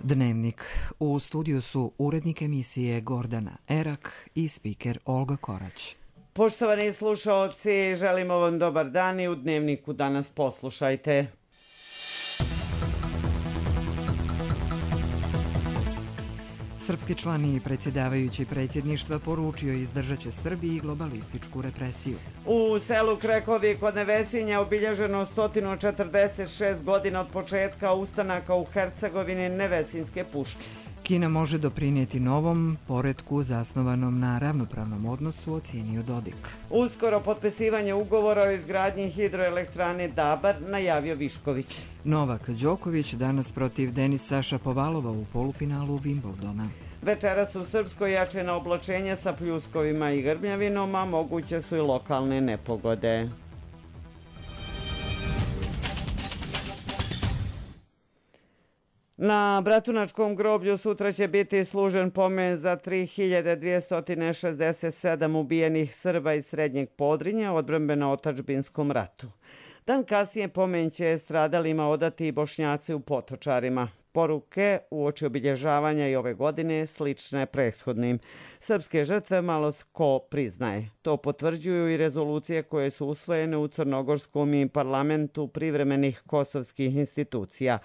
Dnevnik. U studiju su urednik emisije Gordana Erak i spiker Olga Korać. Poštovani slušaoci, želimo vam dobar dan i u Dnevniku danas poslušajte. Srpski član i predsjedavajući predsjedništva poručio izdržat će Srbiji globalističku represiju. U selu Krekovi kod Nevesinja obilježeno 146 godina od početka ustanaka u Hercegovini Nevesinjske puške. Kina može doprinijeti novom poretku zasnovanom na ravnopravnom odnosu, ocijenio Dodik. Uskoro potpisivanje ugovora o izgradnji hidroelektrane Dabar, najavio Višković. Novak Đoković danas protiv Denisa Šapovalova u polufinalu Wimbledona. Večeras u Srpskoj jačena oblačenja sa pljuskovima i grmljavinom, a moguće su i lokalne nepogode. Na Bratunačkom groblju sutra će biti služen pomen za 3267 ubijenih Srba iz Srednjeg Podrinja u odbrambeno-otadžbinskom ratu. Dan kasnije pomen će stradalima odati i Bošnjaci u Potočarima. Poruke uoči obilježavanja i ove godine slične prethodnim. Srpske žrtve malo ko priznaje. To potvrđuju i rezolucije koje su usvojene u Crnogorskom i parlamentu privremenih kosovskih institucija.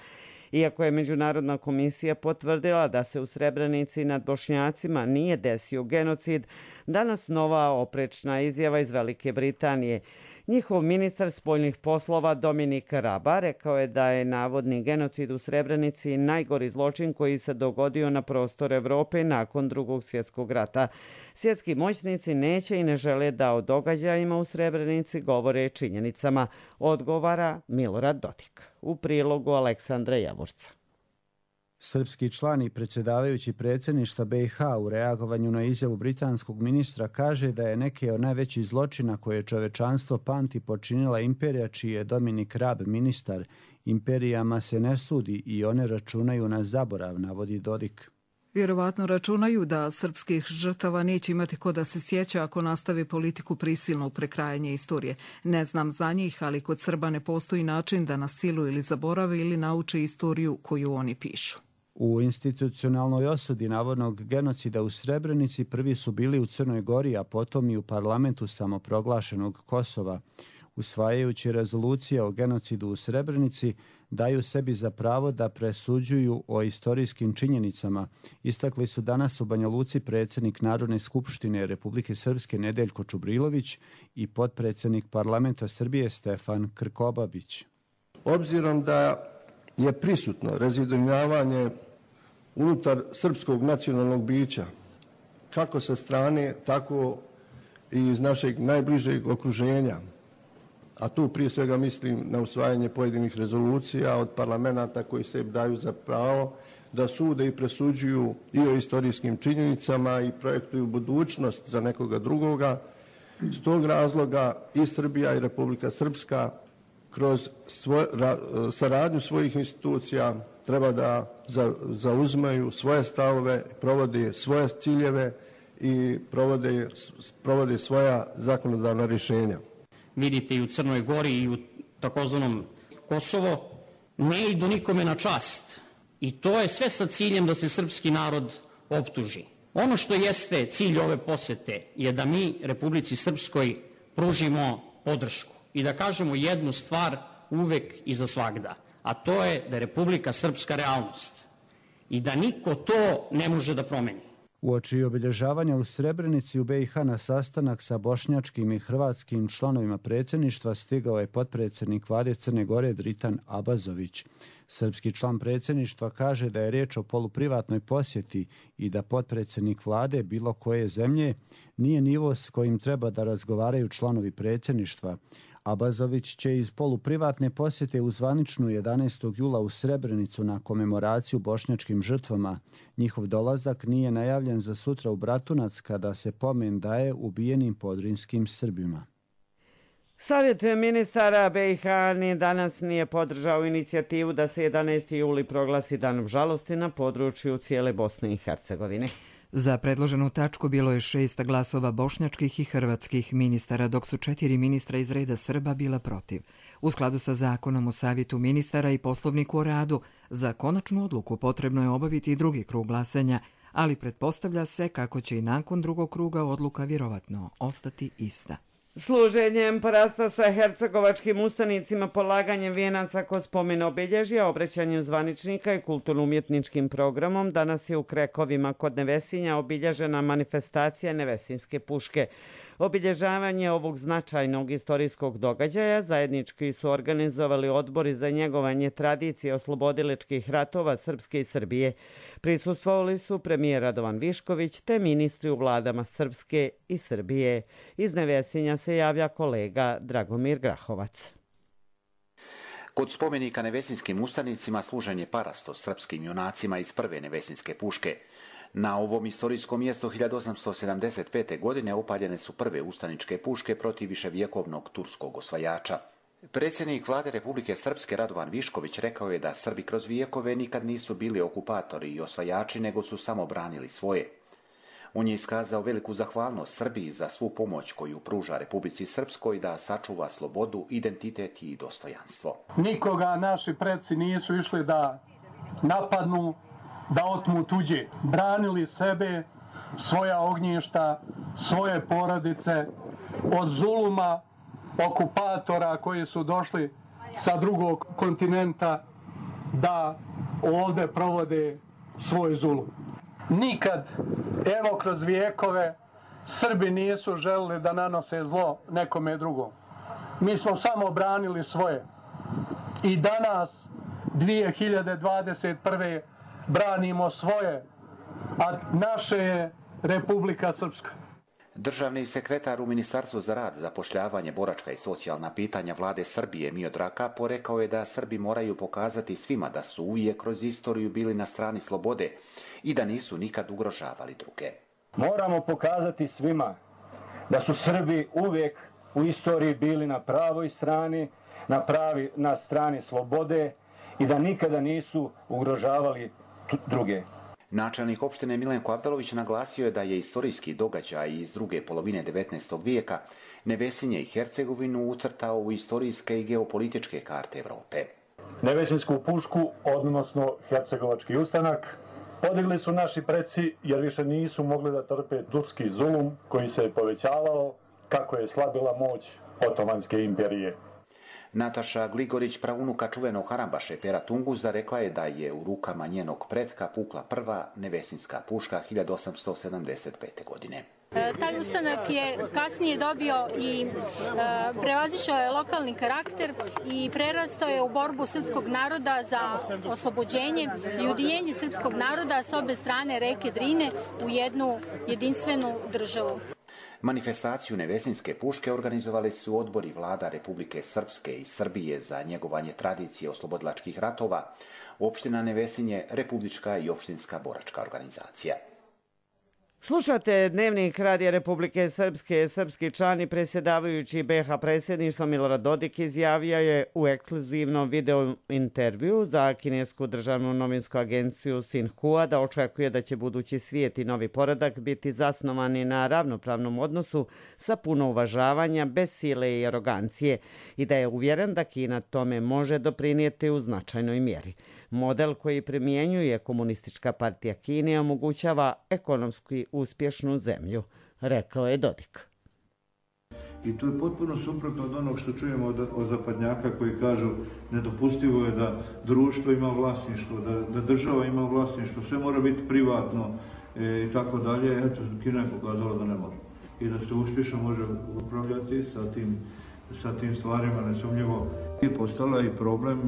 Iako je Međunarodna komisija potvrdila da se u Srebrenici nad Bošnjacima nije desio genocid, danas nova oprečna izjava iz Velike Britanije. Njihov ministar spoljnih poslova Dominik Raba rekao je da je navodni genocid u Srebrenici najgori zločin koji se dogodio na prostoru Evrope nakon Drugog svjetskog rata. Svjetski moćnici neće i ne žele da o događajima u Srebrenici govore činjenicama, odgovara Milorad Dodik. U prilogu Aleksandra Javorca. Srpski član i predsjedavajući predsjedništva BiH u reagovanju na izjavu britanskog ministra kaže da je neke od najvećih zločina koje čovečanstvo pamti počinila imperija čiji je Dominik Rab ministar. Imperijama se ne sudi i one računaju na zaborav, navodi Dodik. Vjerovatno računaju da srpskih žrtava neće imati ko da se sjeća ako nastavi politiku prisilnog prekrajanja istorije. Ne znam za njih, ali kod Srba ne postoji način da nas silu ili zaborave ili nauče istoriju koju oni pišu. U institucionalnoj osudi navodnog genocida u Srebrenici prvi su bili u Crnoj Gori, a potom i u parlamentu samoproglašenog Kosova. Usvajajući rezolucije o genocidu u Srebrenici, daju sebi za pravo da presuđuju o istorijskim činjenicama. Istakli su danas u Banja Luci predsjednik Narodne skupštine Republike Srpske Nedeljko Čubrilović i potpredsjednik parlamenta Srbije Stefan Krkobabić. Obzirom da je prisutno razjedinjavanje unutar srpskog nacionalnog bića, kako sa strane, tako i iz našeg najbližeg okruženja, a tu prije svega mislim na usvajanje pojedinih rezolucija od parlamenta koji se daju za pravo da sude i presuđuju i o istorijskim činjenicama i projektuju budućnost za nekoga drugoga. Iz tog razloga i Srbija i Republika Srpska kroz saradnju svojih institucija treba da zauzmaju svoje stavove, provode svoje ciljeve i provode svoja zakonodavna rješenja. Vidite i u Crnoj Gori i u takozvanom Kosovo, ne idu nikome na čast. I to je sve sa ciljem da se srpski narod optuži. Ono što jeste cilj ove posete je da mi Republici Srpskoj pružimo podršku i da kažemo jednu stvar uvek i za svagda, a to je da je Republika Srpska realnost i da niko to ne može da promeni. Uoči obilježavanja u Srebrenici u BiH na sastanak sa bošnjačkim i hrvatskim članovima predsjedništva stigao je potpredsjednik vlade Crne Gore Dritan Abazović. Srpski član predsjedništva kaže da je riječ o poluprivatnoj posjeti i da potpredsjednik vlade bilo koje zemlje nije nivo s kojim treba da razgovaraju članovi predsjedništva. Abazović će iz poluprivatne posjete u zvaničnu 11. jula u Srebrenicu na komemoraciju bošnjačkim žrtvama. Njihov dolazak nije najavljen za sutra u Bratunac kada se pomen daje ubijenim podrinskim Srbima. Savjet ministara BiH ni danas nije podržao inicijativu da se 11. juli proglasi danom žalosti na području cijele Bosne i Hercegovine. Za predloženu tačku bilo je 6 glasova bošnjačkih i hrvatskih ministara, dok su 4 ministra iz reda Srba bila protiv. U skladu sa zakonom o savjetu ministara i poslovniku o radu, za konačnu odluku potrebno je obaviti i drugi krug glasanja, ali pretpostavlja se kako će i nakon drugog kruga odluka vjerovatno ostati ista. Služenjem porasta sa hercegovačkim ustanicima, polaganjem vijenaca kod spomen obilježja, obraćanjem zvaničnika i kulturno-umjetničkim programom, danas je u Krekovima kod Nevesinja obilježena manifestacija Nevesinske puške. Obilježavanje ovog značajnog istorijskog događaja zajednički su organizovali odbori za njegovanje tradicije oslobodilačkih ratova Srpske i Srbije. Prisustvovali su premijer Radovan Višković te ministri u vladama Srpske i Srbije. Iz Nevesinja se javlja kolega Dragomir Grahovac. Kod spomenika nevesinskim ustanicima služen je parasto srpskim junacima iz prve nevesinske puške. Na ovom istorijskom mjestu 1875. godine upaljene su prve ustaničke puške protiv viševjekovnog turskog osvajača. Predsjednik vlade Republike Srpske Radovan Višković rekao je da Srbi kroz vijekove nikad nisu bili okupatori i osvajači, nego su samo branili svoje. On je iskazao veliku zahvalnost Srbiji za svu pomoć koju pruža Republici Srpskoj da sačuva slobodu, identitet i dostojanstvo. Nikoga naši preci nisu išli da napadnu, da otmu tuđe. Branili sebe, svoja ognjišta, svoje porodice od zuluma, okupatora koji su došli sa drugog kontinenta da ovdje provode svoj zulum. Nikad, evo kroz vijekove, Srbi nisu želili da nanose zlo nekome drugom. Mi smo samo branili svoje. I danas, 2021. branimo svoje, a naše je Republika Srpska. Državni sekretar u Ministarstvu za rad, zapošljavanje, boračka i socijalna pitanja vlade Srbije Miodrag Kapo rekao je da Srbi moraju pokazati svima da su uvijek kroz istoriju bili na strani slobode i da nisu nikad ugrožavali druge. Moramo pokazati svima da su Srbi uvijek u istoriji bili na pravoj strani, na strani slobode i da nikada nisu ugrožavali druge. Načelnik opštine Milenko Avdalović naglasio je da je istorijski događaj iz druge polovine 19. vijeka Nevesinje i Hercegovinu ucrtao u istorijske i geopolitičke karte Evrope. Nevesinsku pušku, odnosno hercegovački ustanak, podigli su naši preci jer više nisu mogli da trpe turski zulum koji se je povećavao kako je slabila moć Otomanske imperije. Nataša Gligorić, praunuka čuvenog harambaše Pera Tunguza, rekla je da je u rukama njenog pretka pukla prva nevesinska puška 1875. godine. Taj ustanak je kasnije dobio i prevazišao je lokalni karakter i prerastao je u borbu srpskog naroda za oslobođenje i ujedinjenje srpskog naroda s obe strane reke Drine u jednu jedinstvenu državu. Manifestaciju Nevesinske puške organizovali su odbori vlada Republike Srpske i Srbije za njegovanje tradicije oslobodilačkih ratova, opština Nevesinje, republička i opštinska boračka organizacija. Slušate Dnevnik Radija Republike Srpske. Srpski član i predsjedavajući BiH predsjedništva Milorad Dodik izjavio je u ekskluzivnom video intervju za kinesku državnu novinsku agenciju Xinhua da očekuje da će budući svijet i novi poredak biti zasnovani na ravnopravnom odnosu sa puno uvažavanja, bez sile i arogancije i da je uvjeren da Kina tome može doprinijeti u značajnoj mjeri. Model koji primjenjuje Komunistička partija Kine omogućava ekonomski uspješnu zemlju, rekao je Dodik. I to je potpuno suprotno od onog što čujemo od zapadnjaka koji kažu nedopustivo je da društvo ima vlasništvo, da država ima vlasništvo, sve mora biti privatno i tako dalje. Eto, Kina je pokazala da ne može. I da se uspješno može upravljati sa tim stvarima, nesumnjivo. I postala i problem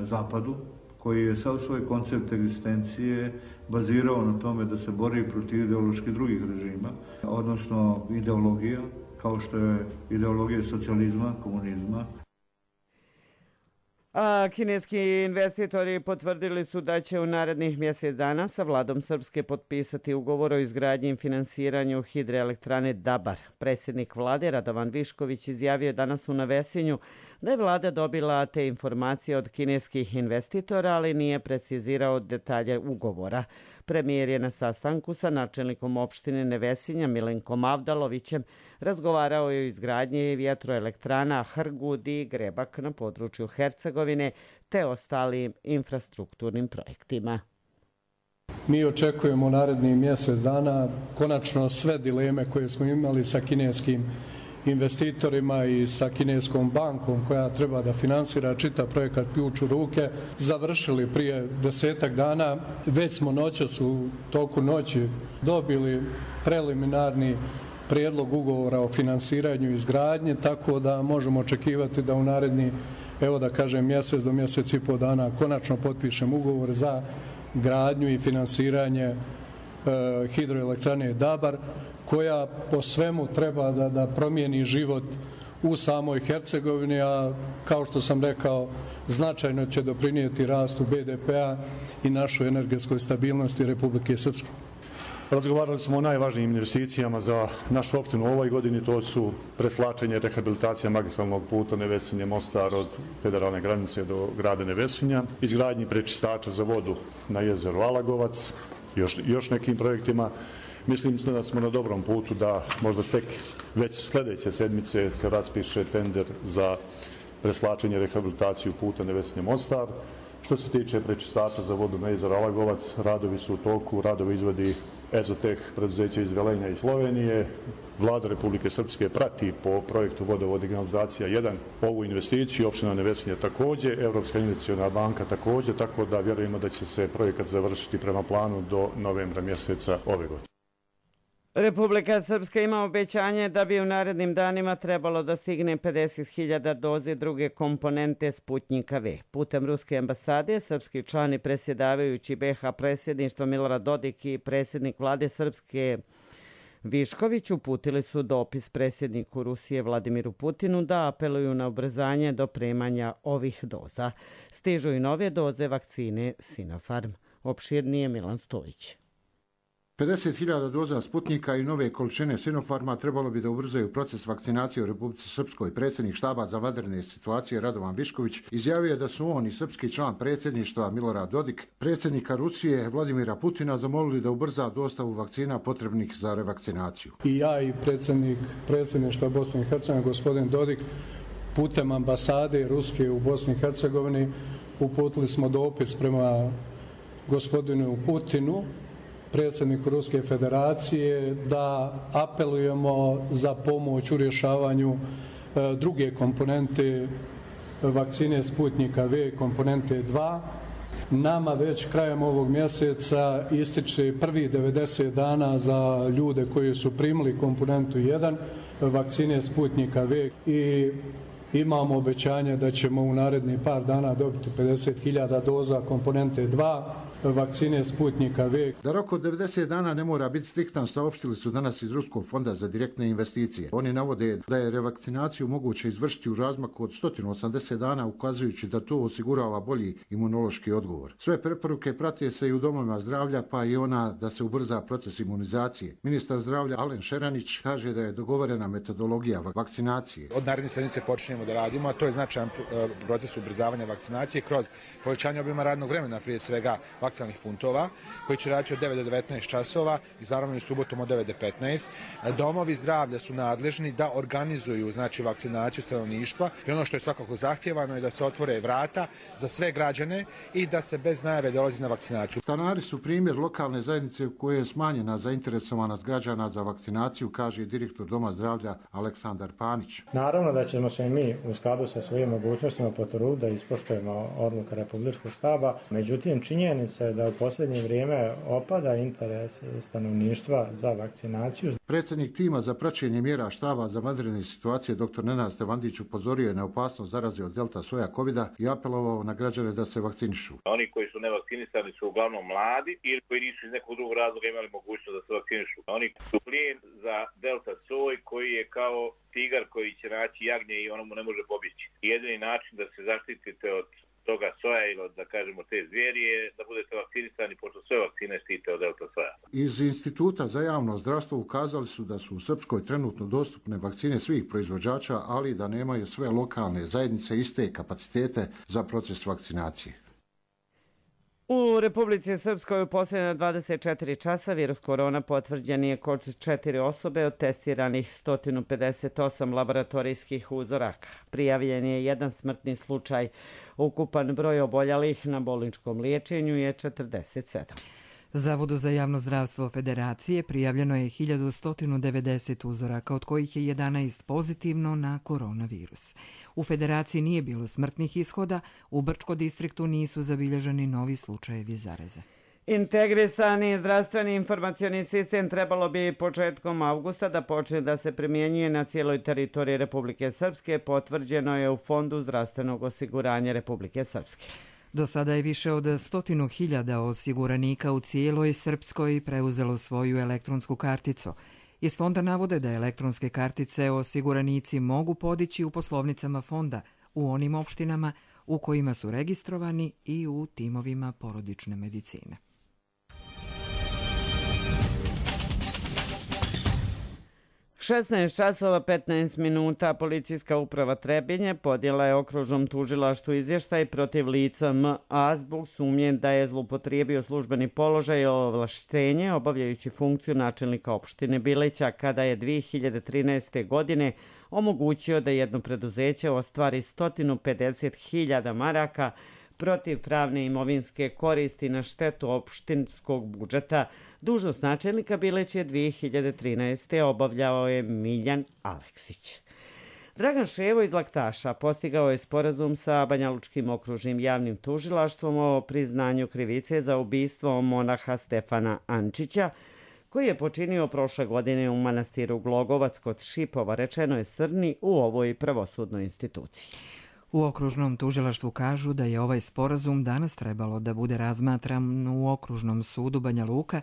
Zapadu, koji je sav svoj koncept egzistencije bazirao na tome da se bori protiv ideoloških drugih režima, odnosno ideologija, kao što je ideologija socijalizma, komunizma. A kineski investitori potvrdili su da će u narednih mjesec dana sa vladom Srpske potpisati ugovor o izgradnji i finansiranju hidroelektrane Dabar. Predsjednik vlade Radovan Višković izjavio je danas u Nevesinju da je vlada dobila te informacije od kineskih investitora, ali nije precizirao detalje ugovora. Premijer je na sastanku sa načelnikom opštine Nevesinja Milenkom Avdalovićem razgovarao je o izgradnji vjetroelektrana Hrgud i Grebak na području Hercegovine te ostalim infrastrukturnim projektima. Mi očekujemo narednih mjesec dana konačno sve dileme koje smo imali sa kineskim investitorima i sa kineskom bankom koja treba da finansira čitav projekat Ključ u ruke, završili prije 10-ak dana. Već smo noćas u toku noći dobili preliminarni prijedlog ugovora o finansiranju i izgradnje, tako da možemo očekivati da u naredni, evo da kažem, mjesec do mjesec i pol dana konačno potpišem ugovor za gradnju i finansiranje hidroelektrane Dabar, koja po svemu treba da promijeni život u samoj Hercegovini, a kao što sam rekao, značajno će doprinijeti rastu BDP-a i našoj energetskoj stabilnosti Republike Srpske. Razgovarali smo o najvažnijim investicijama za našu opštinu u ovoj godini, to su preslačenje i rehabilitacija magistralnog puta Nevesinje-Mostar od federalne granice do grada Nevesinja, izgradnji prečistača za vodu na jezeru Alagovac, još nekim projektima. Mislim da smo na dobrom putu da možda tek već sljedeće sedmice se raspiše tender za preslačenje i rehabilitaciju puta Nevesinje-Mostar. Što se tiče prečistača za vodu na jezeru Alagovac, radovi su u toku, radovi izvodi Ezoteh, preduzeće iz Velenja i Slovenije. Vlada Republike Srpske prati po projektu Vodovod i kanalizacija 1 ovu investiciju, opština Nevesinje također, Evropska investiciona banka također, tako da vjerujemo da će se projekat završiti prema planu do novembra mjeseca ove godine. Republika Srpska ima obećanje da bi u narednim danima trebalo da stigne 50.000 doze druge komponente Sputnjika V. Putem Ruske ambasade, srpski član i predsjedavajući BiH predsjedništva Milorad Dodik i predsjednik vlade Srpske Višković uputili su dopis predsjedniku Rusije Vladimiru Putinu da apeluju na ubrzanje dopremanja ovih doza. Stižu i nove doze vakcine Sinopharm. Opširnije Milan Stojić. 50.000 doza Sputnika i nove količine Sinopharma trebalo bi da ubrzaju proces vakcinacije u Republici Srpskoj. Predsjednik štaba za vanredne situacije Radovan Višković izjavio da su on i srpski član predsjedništva Milorad Dodik, predsjednika Rusije Vladimira Putina zamolili da ubrza dostavu vakcina potrebnih za revakcinaciju. I ja i predsjedništva Bosne i Hercegovine, gospodin Dodik, putem ambasade Ruske u Bosni i Hercegovini uputili smo dopis prema gospodinu Putinu, predsjedniku Ruske federacije, da apelujemo za pomoć u rješavanju druge komponente vakcine Sputnika V, komponente 2. Nama već krajem ovog mjeseca ističe prvi 90 dana za ljude koji su primili komponentu 1 vakcine Sputnika V i imamo obećanje da ćemo u narednih par dana dobiti 50.000 doza komponente 2 vakcine Sputnika V. Da rok od 90 dana ne mora biti striktan, saopštili su danas iz Ruskog fonda za direktne investicije. Oni navode da je revakcinaciju moguće izvršiti u razmaku od 180 dana, ukazujući da to osigurava bolji imunološki odgovor. Sve preporuke prate se i u domovima zdravlja, pa i ona da se ubrza proces imunizacije. Ministar zdravlja Alen Šeranić kaže da je dogovorena metodologija vakcinacije. Od naredne sedmice počinjemo da radimo, a to je značajan proces ubrzavanja vakcinacije kroz povećanje obima radnog vremena, prije svega vakcinalnih punktova, koji će raditi od 9 do 19 časova i naravno i subotom od 9 do 15. Domovi zdravlja su nadležni da organizuju vakcinaciju stanovništva i ono što je svakako zahtjevano je da se otvore vrata za sve građane i da se bez najave dolazi na vakcinaciju. Stanari su primjer lokalne zajednice u kojoj je smanjena zainteresovanost građana za vakcinaciju, kaže direktor Doma zdravlja Aleksandar Panić. Naravno da ćemo se mi u skladu sa svojim mogućnostima potruditi da ispoštujemo odluke Republičkog štaba. Međutim, činjenica je da u posljednje vrijeme opada interes stanovništva za vakcinaciju. Predsjednik tima za praćenje mjera štaba za vanredne situacije dr. Nenad Stevandić upozorio je na opasnost zaraze od delta soja covida i apelovao na građane da se vakcinišu. Oni koji su nevakcinisani su uglavnom mladi ili koji nisu iz nekog drugog razloga imali mogućnost da se vakcinišu. Oni su plijen za delta soj koji je kao tigar koji će naći jagnje i ono mu ne može pobjeći. Jedini način da se zaštitite od toga soja ili od, da kažemo, te zvijeri je da budete vakcinisani, pošto sve vakcine štite od delta soja. Iz Instituta za javno zdravstvo ukazali su da su u Srpskoj trenutno dostupne vakcine svih proizvođača, ali da nemaju sve lokalne zajednice iste kapacitete za proces vakcinacije. U Republici Srpskoj u posljednja 24 časa virus korona potvrđen je kod 4 osobe od testiranih 158 laboratorijskih uzoraka. Prijavljen je jedan smrtni slučaj. Ukupan broj oboljelih na bolničkom liječenju je 47. Zavodu za javno zdravstvo Federacije prijavljeno je 1190 uzoraka, od kojih je 11 pozitivno na koronavirus. U Federaciji nije bilo smrtnih ishoda, u Brčko distriktu nisu zabilježeni novi slučajevi zaraze. Integrisani zdravstveni informacioni sistem trebalo bi početkom avgusta da počne da se primjenjuje na cijeloj teritoriji Republike Srpske, potvrđeno je u Fondu zdravstvenog osiguranja Republike Srpske. Do sada je više od 100.000 osiguranika u cijeloj Srpskoj preuzelo svoju elektronsku karticu. Iz fonda navode da elektronske kartice osiguranici mogu podići u poslovnicama fonda u onim opštinama u kojima su registrovani i u timovima porodične medicine. Šesnaest časova 15 minuta Policijska uprava Trebinje podnijela je okružnom tužilaštvu izvještaj protiv lica M.A. zbog sumnje da je zloupotrijebio službeni položaj i ovlaštenje obavljajući funkciju načelnika opštine Bileća kada je 2013. godine omogućio da jedno preduzeće ostvari 150.000 maraka protiv pravne imovinske koristi na štetu opštinskog budžeta. Dužnost načelnika Bileće 2013. obavljao je Miljan Aleksić. Dragan Ševo iz Laktaša postigao je sporazum sa Banjalučkim okružnim javnim tužilaštvom o priznanju krivice za ubistvo monaha Stefana Ančića, koji je počinio prošle godine u manastiru Glogovac kod Šipova, rečeno je Srni u ovoj pravosudnoj instituciji. U okružnom tužilaštvu kažu da je ovaj sporazum danas trebalo da bude razmatran u okružnom sudu Banja Luka,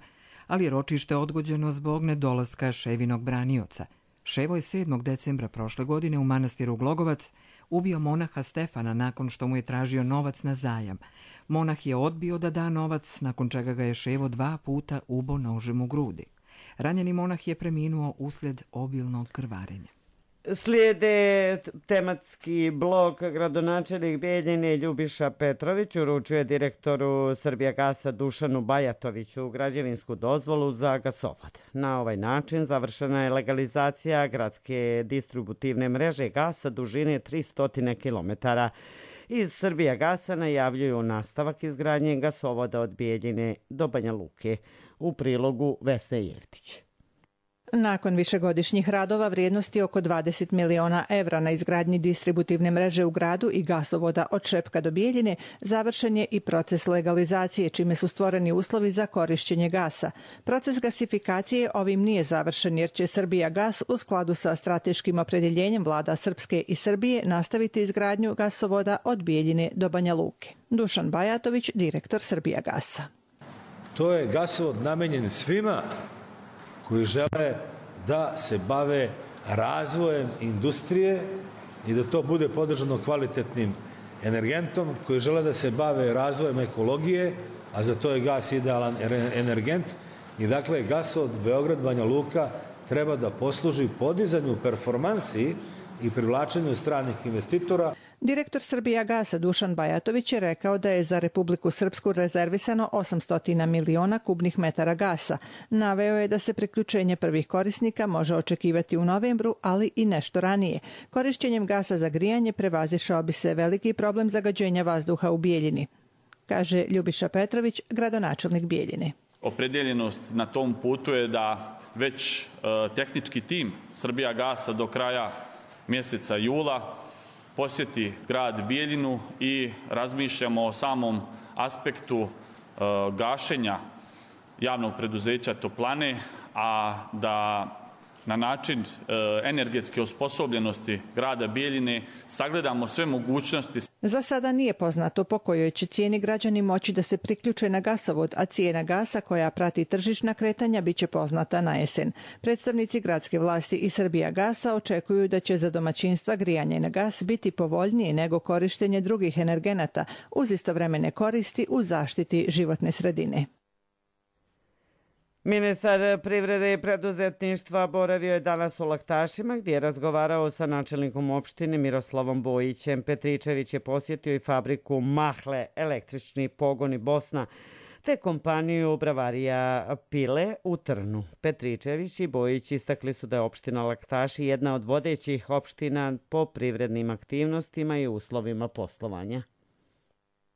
ali je ročište odgođeno zbog nedolaska Ševinog branioca. Ševo je 7. decembra prošle godine u manastiru Glogovac ubio monaha Stefana nakon što mu je tražio novac na zajam. Monah je odbio da da novac, nakon čega ga je Ševo 2 puta ubo nožem u grudi. Ranjeni monah je preminuo uslijed obilnog krvarenja. Slijede tematski blok. Gradonačelnik Bijeljine Ljubiša Petrović uručuje direktoru Srbijagasa Dušanu Bajatoviću građevinsku dozvolu za gasovod. Na ovaj način završena je legalizacija gradske distributivne mreže gasa dužine 300 km. Iz Srbijagasa najavljuju nastavak izgradnje gasovoda od Bijeljine do Banja Luke. U prilogu Vesne Jevtić. Nakon višegodišnjih radova vrijednosti oko 20 miliona evra na izgradnji distributivne mreže u gradu i gasovoda od Šepka do Bijeljine, završen je i proces legalizacije, čime su stvoreni uslovi za korišćenje gasa. Proces gasifikacije ovim nije završen jer će Srbijagas u skladu sa strateškim opredjeljenjem vlada Srpske i Srbije nastaviti izgradnju gasovoda od Bijeljine do Banja Luke. Dušan Bajatović, direktor Srbijagasa. To je gasovod namenjen svima koji žele da se bave razvojem industrije i da to bude podržano kvalitetnim energentom, koji žele da se bave razvojem ekologije, a za to je gas idealan energent. I dakle, gasovod Beograd-Banja Luka treba da posluži podizanju performansi i privlačenju stranih investitora. Direktor Srbijagasa Dušan Bajatović je rekao da je za Republiku Srpsku rezervisano 800 miliona kubnih metara gasa. Naveo je da se priključenje prvih korisnika može očekivati u novembru, ali i nešto ranije. Korišćenjem gasa za grijanje prevazišao bi se veliki problem zagađenja vazduha u Bijeljini, kaže Ljubiša Petrović, gradonačelnik Bijeljine. Opredeljenost na tom putu je da već tehnički tim Srbijagasa do kraja mjeseca jula posjeti grad Bijeljinu i razmišljamo o samom aspektu gašenja javnog preduzeća Toplane, a da na način energetske osposobljenosti grada Bijeljine sagledamo sve mogućnosti. Za sada nije poznato po kojoj će cijeni građani moći da se priključe na gasovod, a cijena gasa koja prati tržišna kretanja biće poznata na jesen. Predstavnici gradske vlasti i Srbijagasa očekuju da će za domaćinstva grijanje na gas biti povoljnije nego korištenje drugih energenata uz istovremene koristi u zaštiti životne sredine. Ministar privrede i preduzetništva boravio je danas u Laktašima gdje je razgovarao sa načelnikom opštine Miroslavom Bojićem. Petričević je posjetio i fabriku Mahle, električni pogoni Bosna, te kompaniju Bravarija Pile u Trnu. Petričević i Bojić istakli su da je opština Laktaši jedna od vodećih opština po privrednim aktivnostima i uslovima poslovanja.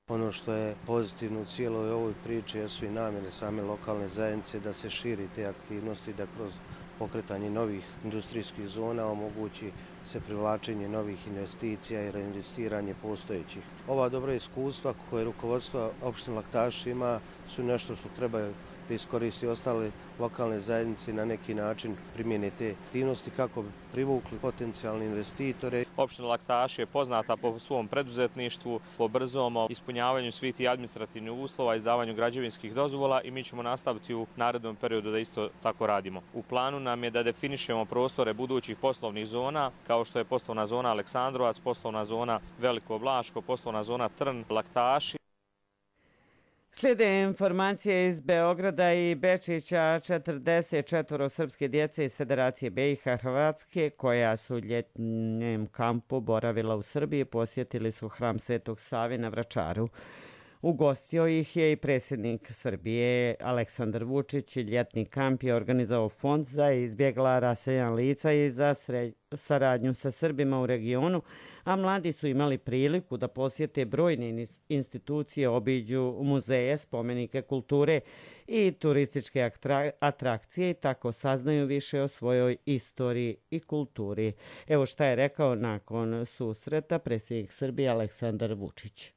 Ono što je pozitivno u cijeloj ovoj priči jesu i namjere same lokalne zajednice da se širi te aktivnosti, da kroz pokretanje novih industrijskih zona omogući se privlačenje novih investicija i reinvestiranje postojećih. Ova dobra iskustva koje rukovodstvo opštine Laktaši ima su nešto što treba da iskoristi ostale lokalne zajednice i na neki način primjene te aktivnosti kako bi privukli potencijalne investitore. Opština Laktaši je poznata po svom preduzetništvu, po brzom ispunjavanju svih tih administrativnih uslova, izdavanju građevinskih dozvola i mi ćemo nastaviti u narednom periodu da isto tako radimo. U planu nam je da definišemo prostore budućih poslovnih zona, kao što je poslovna zona Aleksandrovac, poslovna zona Veliko Blaško, poslovna zona Trn, Laktaši. Slijede informacije iz Beograda i Bečića. 44 srpske djece iz Federacije BiH Hrvatske koja su u ljetnjem kampu boravila u Srbiji posjetili su hram Svetog Save na Vračaru. Ugostio ih je i predsjednik Srbije Aleksandar Vučić. Ljetni kamp je organizovao Fond za izbjegla raseljan lica i za saradnju sa Srbima u regionu, a mladi su imali priliku da posjete brojne institucije, obiđu muzeje, spomenike kulture i turističke atrakcije i tako saznaju više o svojoj istoriji i kulturi. Evo šta je rekao nakon susreta predsjednik Srbije Aleksandar Vučić.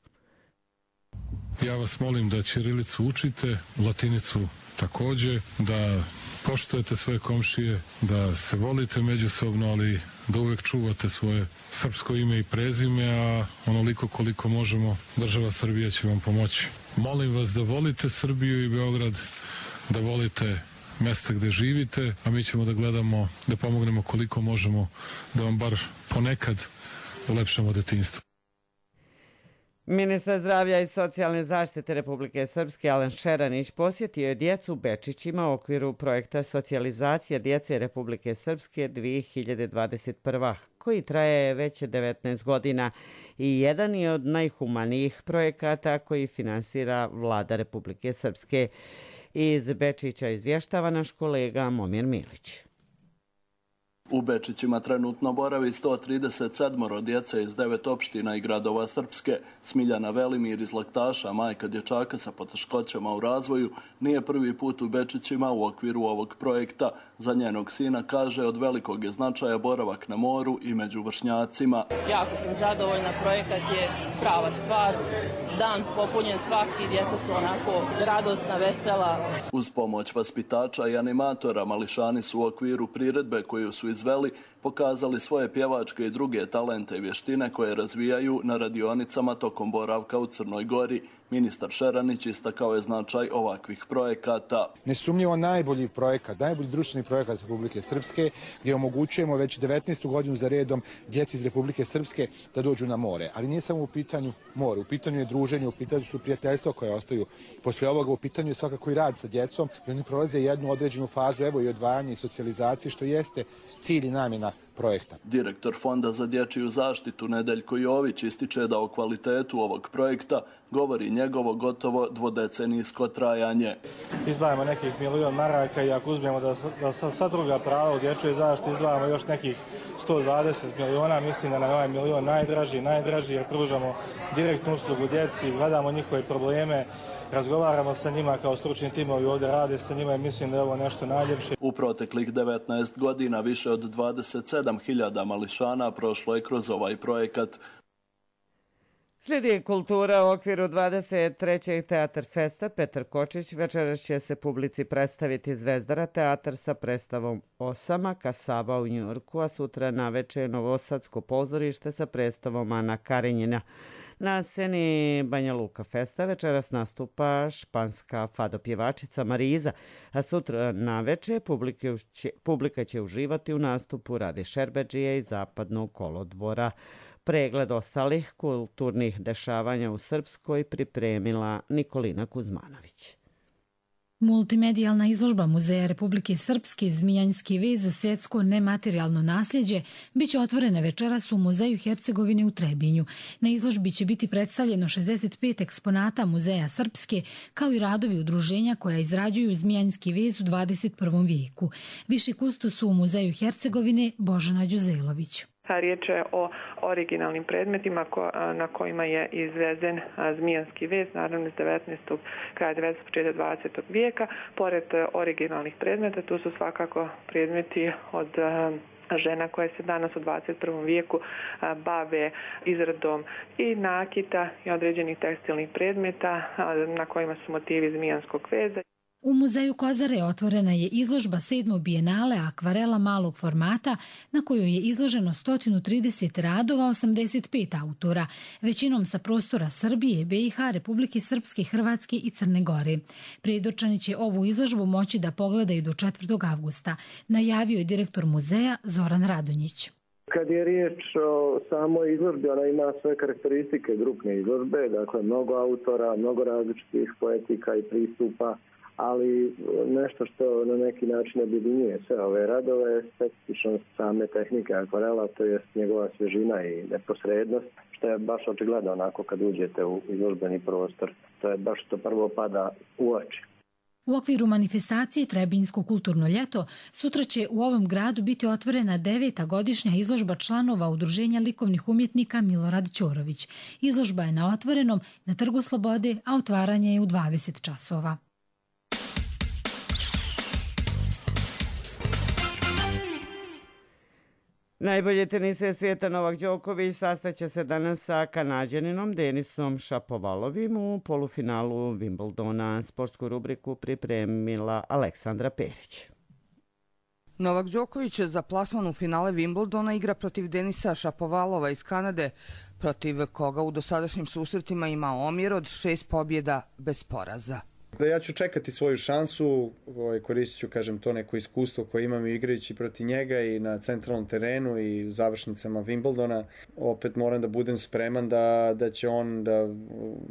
Ja vas molim da ćirilicu učite, latinicu također, da poštujete svoje komšije, da se volite međusobno, ali da uvijek čuvate svoje srpsko ime i prezime, a onoliko koliko možemo, država Srbija će vam pomoći. Molim vas da volite Srbiju i Beograd, da volite mjesta gdje živite, a mi ćemo da gledamo, da pomognemo koliko možemo, da vam bar ponekad ulepšamo detinjstvo. Ministar zdravlja i socijalne zaštite Republike Srpske Alen Šeranić posjetio je djecu u Bečićima u okviru projekta Socijalizacija djece Republike Srpske 2021. koji traje već 19 godina i jedan je od najhumanijih projekata koji finansira Vlada Republike Srpske. Iz Bečića izvještava naš kolega Momir Milić. U Bečićima trenutno boravi 137 djece iz 9 opština i gradova Srpske. Smiljana Velimir iz Laktaša, majka dječaka sa poteškoćama u razvoju, nije prvi put u Bečićima u okviru ovog projekta. Za njenog sina kaže od velikog je značaja boravak na moru i među vršnjacima. Jako sam zadovoljna, projekat je prava stvar. Dan popunjen svaki, djeca su onako radosna, vesela. Uz pomoć vaspitača i animatora mališani su u okviru priredbe koju su izveli pokazali svoje pjevačke i druge talente i vještine koje razvijaju na radionicama tokom boravka u Crnoj Gori. Ministar Šeranić istakao je značaj ovakvih projekata. Nesumnjivo najbolji projekat, najbolji društveni projekat Republike Srpske gdje omogućujemo već 19. godinu za redom djeci iz Republike Srpske da dođu na more. Ali nije samo u pitanju more, u pitanju je druženje, u pitanju su prijateljstva koje ostaju poslije ovoga, u pitanju je svakako i rad sa djecom i oni prolaze jednu određenu fazu, evo i odvajanje i socijalizacije, što jeste cilj i namjena projekta. Direktor Fonda za dječju zaštitu Nedeljko Jović ističe da o kvalitetu ovog projekta govori njegovo gotovo dvodecenijsko trajanje. Izdvajamo nekih 1 milion maraka i ako uzmemo da sva druga prava u dječjoj zaštiti izdvajamo još nekih 120 miliona, mislim da nam je ovaj milion najdraži jer pružamo direktnu uslugu djeci, gledamo njihove probleme, razgovaramo sa njima kao stručni timovi ovdje rade sa njima i mislim da je ovo nešto najljepše. U proteklih 19 godina više od 27.000 mališana prošlo je kroz ovaj projekat. Slijedi kultura u okviru 23. Teatar Festa. Petar Kočić večeras će se publici predstaviti Zvezdara teatar sa predstavom Osama Kasaba u Njujorku, a sutra naveče Novosadsko pozorište sa predstavom Ana Karenjina. Na sceni Banja Luka Festa večeras nastupa španska fado pjevačica Mariza, a sutra naveče publika će uživati u nastupu Rade Šerbedžije iz Zapadnog kolodvora. Pregled ostalih kulturnih dešavanja u Srpskoj pripremila Nikolina Kuzmanović. Multimedijalna izložba Muzeja Republike Srpske Zmijanski vez za svjetsko nematerijalno nasljeđe biće otvorena večeras u Muzeju Hercegovine u Trebinju. Na izložbi će biti predstavljeno 65 eksponata Muzeja Srpske, kao i radovi udruženja koja izrađuju Zmijanski vez u 21. vijeku. Viši kustos u Muzeju Hercegovine Božana Đuzelović. Riječ je o originalnim predmetima na kojima je izvezen zmijanski vez, naravno iz 19. kraja 19. početka 20. vijeka. Pored originalnih predmeta, tu su svakako predmeti od žena koje se danas u 21. vijeku bave izradom i nakita i određenih tekstilnih predmeta na kojima su motivi zmijanskog veza. U Muzeju Kozare otvorena je izložba 7. bijenale akvarela malog formata na kojoj je izloženo 130 radova 85 autora, većinom sa prostora Srbije, BiH, Republike Srpske, Hrvatske i Crne Gore. Predočani će ovu izložbu moći da pogledaju do 4. avgusta, najavio je direktor muzeja Zoran Radonjić. Kad je riječ o samoj izložbi, ona ima sve karakteristike grupne izložbe, dakle mnogo autora, mnogo različitih poetika i pristupa, ali nešto što na neki način objedinjuje sve ove radove je specifičnost same tehnike akvarela, to je njegova svježina i neposrednost, što je baš očigledno onako kad uđete u izložbeni prostor. To je baš što prvo pada u oči. U okviru manifestacije Trebinjsko kulturno ljeto sutra će u ovom gradu biti otvorena 9. godišnja izložba članova Udruženja likovnih umjetnika Milorad Ćorović. Izložba je na otvorenom na Trgu Slobode, a otvaranje je u 20 časova. Najbolje tenise svijeta Novak Đoković sastaće se danas sa Kanađaninom Denisom Šapovalovim u polufinalu Wimbledona. Sportsku rubriku pripremila Aleksandra Perić. Novak Đoković za plasman u finale Wimbledona igra protiv Denisa Šapovalova iz Kanade, protiv koga u dosadašnjim susretima ima omjer od 6 pobjeda bez poraza. Ja ću čekati svoju šansu, koristit ću, to neko iskustvo koje imam igrajući protiv njega i na centralnom terenu i u završnicama Wimbledona. Opet moram da budem spreman da će on da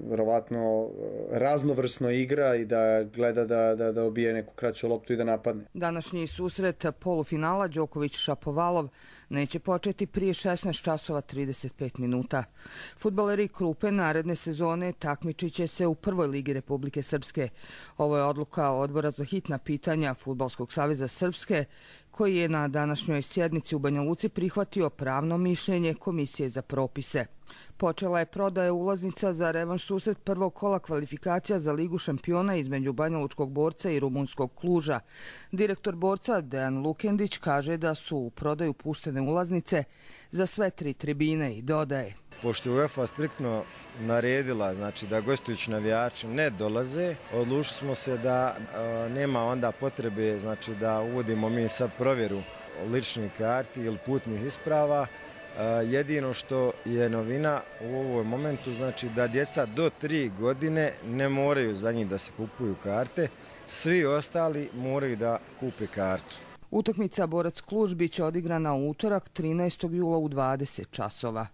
verovatno raznovrsno igra i da gleda da obije neku kraću loptu i da napadne. Današnji susret polufinala Đoković-Šapovalov neće početi prije 16 časova 35 minuta. Fudbaleri Krupe naredne sezone takmičit će se u prvoj ligi Republike Srpske. Ovo je odluka Odbora za hitna pitanja Fudbalskog saveza Srpske, koji je na današnjoj sjednici u Banja Luci prihvatio pravno mišljenje Komisije za propise. Počela je prodaja ulaznica za revanš susret prvog kola kvalifikacija za Ligu šampiona između banjalučkog Borca i rumunskog Kluža. Direktor Borca Dejan Lukendić kaže da su u prodaju puštene ulaznice za sve 3 tribine i dodaje: Pošto je UEFA striktno naredila da gostujući navijači ne dolaze, odlučili smo se da nema onda potrebe da uvodimo mi sad provjeru ličnih karti ili putnih isprava. Jedino što je novina u ovom momentu, da djeca do 3 godine ne moraju za njih da se kupuju karte, svi ostali moraju da kupe kartu. Utakmica Borac Kluž biće odigrana u utorak 13. jula u 20 časova.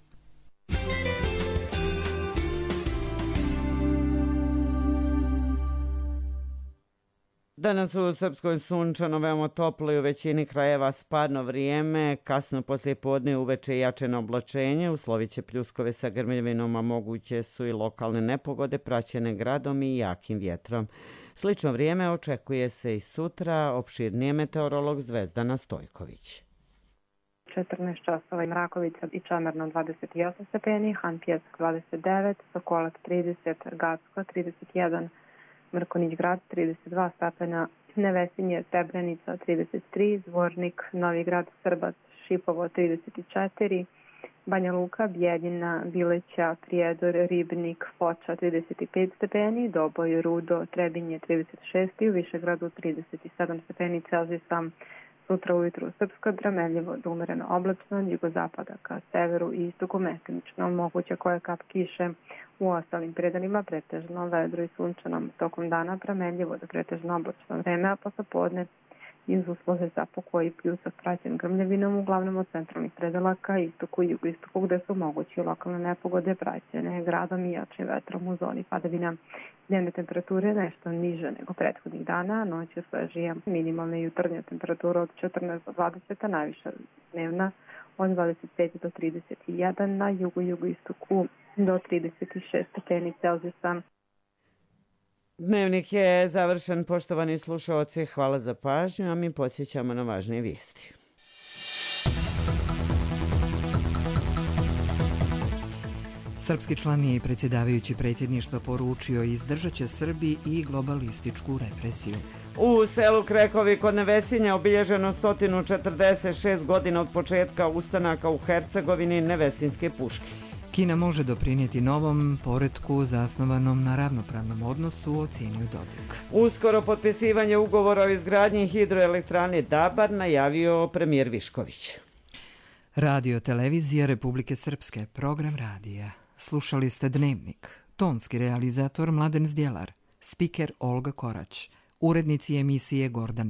Danas u Srpskoj sunčano, veoma toplo i u većini krajeva spadno vrijeme. Kasno poslije podne uveče jačeno oblačenje, uslovit će pljuskove sa grmljavinom, a moguće su i lokalne nepogode praćene gradom i jakim vjetrom. Slično vrijeme očekuje se i sutra, opširnije meteorolog Zvezdana Stojković. 14 časova i Mrakovica i Čemerno 28 stepeni, Han Pjesak 29, Sokolac 30, Gacko 31, Mrkonić Grad 32 stepena, Nevesinje, Srebrenica 33, Zvornik, Novi Grad, Srbac, Šipovo 34, Banja Luka, Bijeljina, Bileća, Prijedor, Ribnik, Foča 35 stepeni, Doboj, Rudo, Trebinje 36 i u Višegradu 37 stepeni Celzijusa. Sutra ujutru Srpska, Drameljevo, umereno oblačno, jugozapada ka severu i istoku mestimično, moguće kojekap kiše. U ostalim predelima pretežno vedro i sunčano, tokom dana Drameljevo do pretežno oblačno vreme, a posle podne iz uslove za pokoj i pljusak praćen grmljavinom, uglavnom od centralnih predela ka istoku i jugoistoku, gde su mogući lokalne nepogode praćene gradom i jačim vetrom u zoni padavina. Dnevne temperature nešto niže nego prethodnih dana, noć je svežija. Minimalna jutarnja temperatura od 14 do 20, a najviša dnevna od 25 do 31, na jugoistoku do 36 stepeni Celzijusa. Dnevnik je završen, poštovani slušaoci, hvala za pažnju, a mi podsjećamo na važnije vijesti. Srpski član i predsjedavajući predsjedništva poručio izdržat će Srbiji i globalističku represiju. U selu Krekovi kod Nevesinja obilježeno 146 godina od početka ustanaka u Hercegovini Nevesinske puške. Kina može doprinijeti novom poretku zasnovanom na ravnopravnom odnosu, ocijenio Dodik. Uskoro potpisivanje ugovora o izgradnji hidroelektrane Dabar najavio premijer Višković. Radio televizija Republike Srpske, program radija. Slušali ste Dnevnik. Tonski realizator Mladen Zdjelar, spiker Olga Korać, urednici emisije Gordana